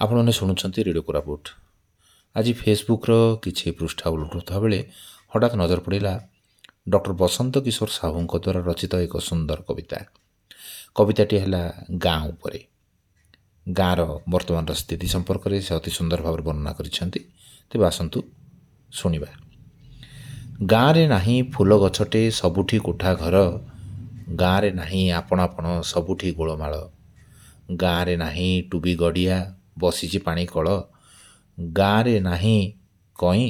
ଆପଣମାନେ ଶୁଣୁଛନ୍ତି ରେଡ଼ିଓ କୋରାପୁଟ। ଆଜି ଫେସବୁକ୍ର କିଛି ପୃଷ୍ଠା ଓଲଟୁଥିବା ବେଳେ ହଠାତ୍ ନଜର ପଡ଼ିଲା ଡକ୍ଟର ବସନ୍ତ କିଶୋର ସାହୁଙ୍କ ଦ୍ୱାରା ରଚିତ ଏକ ସୁନ୍ଦର କବିତା। କବିତାଟି ହେଲା ଗାଁ ଉପରେ। ଗାଁର ବର୍ତ୍ତମାନର ସ୍ଥିତି ସମ୍ପର୍କରେ ସେ ଅତି ସୁନ୍ଦର ଭାବରେ ବର୍ଣ୍ଣନା କରିଛନ୍ତି। ତେବେ ଆସନ୍ତୁ ଶୁଣିବା। ଗାଁରେ ନାହିଁ ଫୁଲ ଗଛଟେ, ସବୁଠି କୋଠା ଘର। ଗାଁରେ ନାହିଁ ଆପଣା ପଣ, ସବୁଠି ଗୋଳମାଳ। ଗାଁରେ ନାହିଁ ଟୁବି ଗଡ଼ିଆ, ବସିଛି ପାଣି କଳ। ଗାଁରେ ନାହିଁ କଇଁ,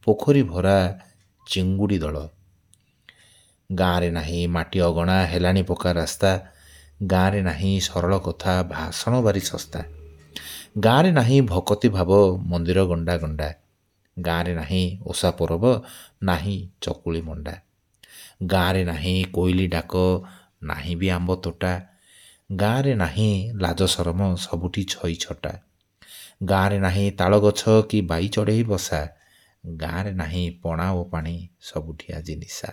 ପୋଖରୀ ଭରା ଚିଙ୍ଗୁଡ଼ି ଦଳ। ଗାଁରେ ନାହିଁ ମାଟି ଅଗଣା, ହେଲାଣି ପକ୍କା ରାସ୍ତା। ଗାଁରେ ନାହିଁ ସରଳ କଥା, ଭାଷଣ ଭାରି ଶସ୍ତା। ଗାଁରେ ନାହିଁ ଭକତି ଭାବ, ମନ୍ଦିର ଗଣ୍ଡା ଗଣ୍ଡା। ଗାଁରେ ନାହିଁ ଓଷା ପରବ, ନାହିଁ ଚକୁଳି ମଣ୍ଡା। ଗାଁରେ ନାହିଁ କୋଇଲି ଡାକ, ନାହିଁ ବି ଆମ୍ବ ତୋଟା। ଗାଁରେ ନାହିଁ ଲାଜ ସରମ, ସବୁଠି ଛଇ ଛଟା। ଗାଁରେ ନାହିଁ ତାଳ ଗଛ କି ବାଇ ଚଢ଼େଇ ବସା। ଗାଁରେ ନାହିଁ ପଣା ଓ ପାଣି, ସବୁଠି ଆଜି ନିଶା।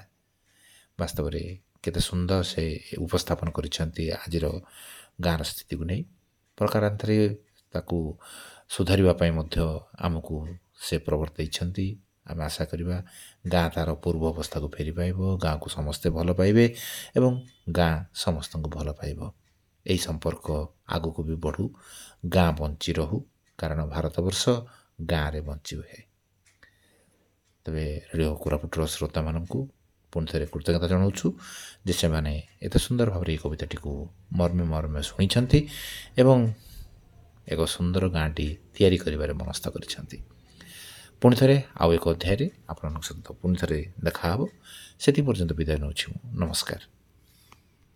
ବାସ୍ତବରେ କେତେ ସୁନ୍ଦର ସେ ଉପସ୍ଥାପନ କରିଛନ୍ତି ଆଜିର ଗାଁର ସ୍ଥିତିକୁ ନେଇ। ପ୍ରକାରାନ୍ତରେ ତାକୁ ସୁଧାରିବା ପାଇଁ ମଧ୍ୟ ଆମକୁ ସେ ପ୍ରବର୍ତ୍ତାଇଛନ୍ତି। ଆମେ ଆଶା କରିବା ଗାଁ ତା'ର ପୂର୍ବ ଅବସ୍ଥାକୁ ଫେରି ପାଇବ, ଗାଁକୁ ସମସ୍ତେ ଭଲ ପାଇବେ ଏବଂ ଗାଁ ସମସ୍ତଙ୍କୁ ଭଲ ପାଇବ। ଏହି ସମ୍ପର୍କ ଆଗକୁ ବି ବଢ଼ୁ, ଗାଁ ବଞ୍ଚି ରହୁ, କାରଣ ଭାରତବର୍ଷ ଗାଁରେ ବଞ୍ଚି ରୁହେ। ତେବେ ରେଡ଼ିଓ କୋରାପୁଟର ଶ୍ରୋତାମାନଙ୍କୁ ପୁଣି ଥରେ କୃତଜ୍ଞତା ଜଣାଉଛୁ ଯେ ସେମାନେ ଏତେ ସୁନ୍ଦର ଭାବରେ ଏହି କବିତାଟିକୁ ମର୍ମେ ମର୍ମେ ଶୁଣିଛନ୍ତି ଏବଂ ଏକ ସୁନ୍ଦର ଗାଁଟି ତିଆରି କରିବାରେ ମନସ୍ଥ କରିଛନ୍ତି। ପୁଣି ଥରେ ଆଉ ଏକ ଅଧ୍ୟାୟରେ ଆପଣଙ୍କ ସହିତ ପୁଣି ଥରେ ଦେଖାହେବ। ସେଥି ପର୍ଯ୍ୟନ୍ତ ବିଦାୟ ନେଉଛି ମୁଁ। ନମସ୍କାର।